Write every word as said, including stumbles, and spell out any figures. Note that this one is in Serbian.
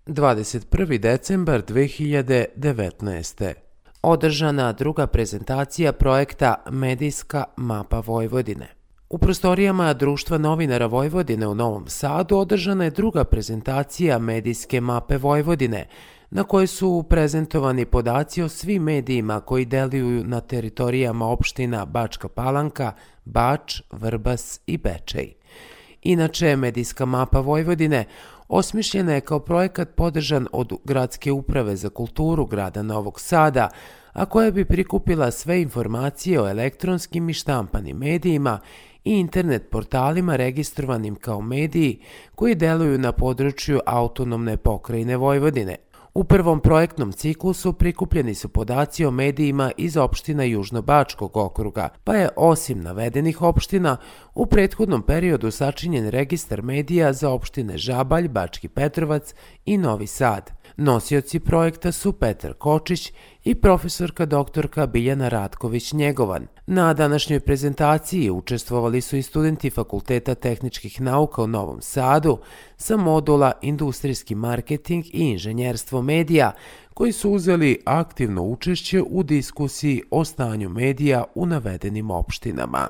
dvadeset prvi decembar dve hiljade devetnaeste. Održana druga prezentacija projekta Medijska mapa Vojvodine. U prostorijama Društva novinara Vojvodine u Novom Sadu održana je druga prezentacija Medijske mape Vojvodine, na kojoj su prezentovani podaci o svim medijima koji deluju na teritorijama opština Bačka Palanka, Bač, Vrbas i Bečej. Inače, Medijska mapa Vojvodine osmišljena je kao projekat podržan od Gradske uprave za kulturu grada Novog Sada, a koja bi prikupila sve informacije o elektronskim i štampanim medijima i internet portalima registrovanim kao mediji koji deluju na području autonomne pokrajine Vojvodine. U prvom projektnom ciklusu prikupljeni su podaci o medijima iz opština Južnobačkog okruga, pa je osim navedenih opština u prethodnom periodu sačinjen registar medija za opštine Žabalj, Bački Petrovac i Novi Sad. Nosioci projekta su Petar Kočić i profesorka doktorka Biljana Ratković-Njegovan. Na današnjoj prezentaciji učestvovali su i studenti Fakulteta tehničkih nauka u Novom Sadu sa modula Industrijski marketing i inženjerstvo medija, koji su uzeli aktivno učešće u diskusiji o stanju medija u navedenim opštinama.